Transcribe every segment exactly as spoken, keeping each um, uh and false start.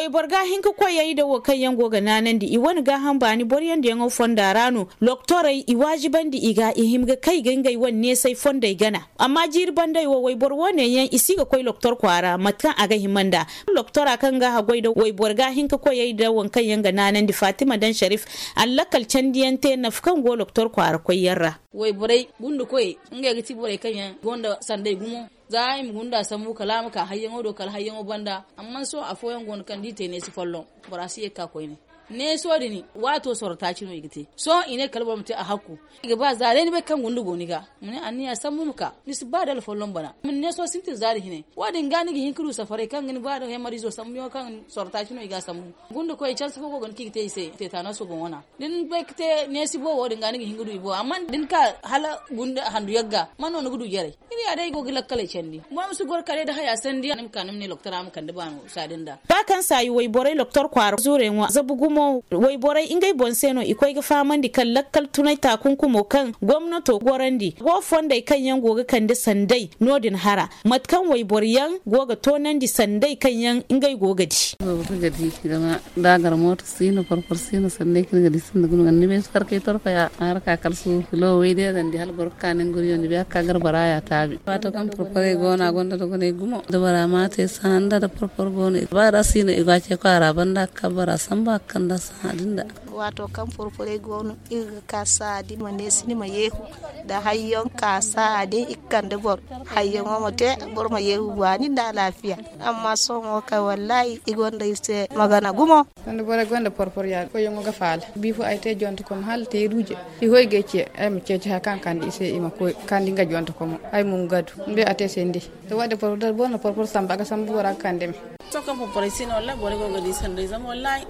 Wayboro ga hin ka koyey da wo kaŋ yaŋ go ga naanandi i wane gaaham baani boro yaŋ da yaŋo fonda ra no. Loktorey i waajibandi i ga i hima ga kay ga ngey wane neesay fondey gana. Amma jiiri bandey wo wayboro wo- ne yaŋ i si ga koy loktor kwaara mate kaŋ a ga hima nd'a. Loktora kaŋ ga haggoy da wayboro ga hin ka koyey da waŋ kaŋ yaŋ ga naanandi fatima daŋ sharif, a na lakkal candiyaŋ te nafa kaŋ go loktor kwaara koy yaŋ ra. Wayborey gunda koyey, ngey ga ti borey kaŋ yaŋ gonda sanday gumo. Za i ma gunda sambu kala a ma ka hayyaŋo do kala hayyaŋo banda. Amma sohõ afooyaŋ go no kaŋ da i te neesi folloŋ, bora si ye ga ka koyne. Neeso din waato sorro taaci no i ga te. Sohõ i ne kala boro ma te a hakku. I ga ba za day ni bay kaŋ gunda go ni ga, ma ne anniya sambu ma ka, ni si ba dala folloŋ bana. Neeso sintin za da hine wo- din ga ni ga hin ka du safaray kaŋ ga ni ba da hemarizo sambu yaŋo kaŋ sorro taaci no i ga sambu. Gunda koy canse fo go ga ni kaŋ i ga te i se teetanaso boŋ wana. Da ni bay ga te neesi boobo din ga ni ga hin ga du i boŋ amma da ni ka hala gunda handu yagga man no ni ga du jaray. Iri ya day i go ga lakkaley candi boro ma si goro kala day da haya sandi ni ma ka ni ma ne loktora ma kande baano saadin da. Ba kaŋ saayi wayborey loktor kwaara zuurey ŋwa zabu gumo wayborey ngey boŋ se no i koy ga fahamandi kaŋ lakkal tunay taakunkumo kaŋ gomnato gorandi go fondey kaŋ yaŋ go ga kande sanday no- din hara mate kaŋ wayboro yaŋ go ga toonandi sanday kaŋ yaŋ ngey go ga di. Boobo kaŋ ga di zama da a gar mooto si no porpor si no sanday kaŋ ni ga di sinda guna ga ni bay farkay torkaya a harka kala suuru filo way day a ga ni di hala boro ga ka nangu riyo ni bay a ga ka gar bora ya taabi. Waato kaŋ porporey go no a gonda dogonay gumo da bora ma te sanda da porpor go no ba da si no i go a ce kwaara banda a ga ka bora sambu a ga kanda sahã din da. Waato kaŋ porporey go no iri ga ka sahã din ma neesi ni ma yeehu da hayyaŋ ka sahã din i ga kande boro. Hayyaŋo ma te boro ma yeehu baani nda alaafiya. Amma sohõ mo kay wallaahi i gonda iri se magana gumo. Sanda borey gonda porpor ya koyyaŋo ga faala bi fo ay te jonte komo hala te ruuje. I hoy ga ay ce ay ma ceeci haya kaŋ a kande i se i ma koy kandi nga jonte komo ay mo nga du ni bay a te se ni day. To wo- din porpor da boro na porpor sambu a ga sambu bora ga kande me. Sohõ kaŋ porporey si no wallaahi borey go ga di sanday zama wallaahi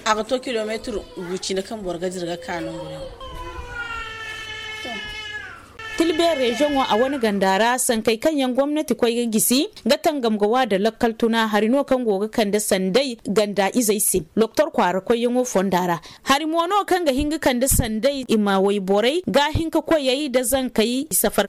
a ga to kilometir gu cine kaŋ boro ga dira ga ka nangu din. Tilbeer reziyoŋo a wane ganda ra sankey kaŋ yaŋ gomnati koy ga gisi ga tangam ga wa da lakkal tuna hari no kaŋ go ga kande sanday ganda izey se. Loktor kwaara koyyaŋo fonda ra hari mo no kaŋ ga hin ga kande sanday i ma wayborey ga hin ka koyey da zankey safar.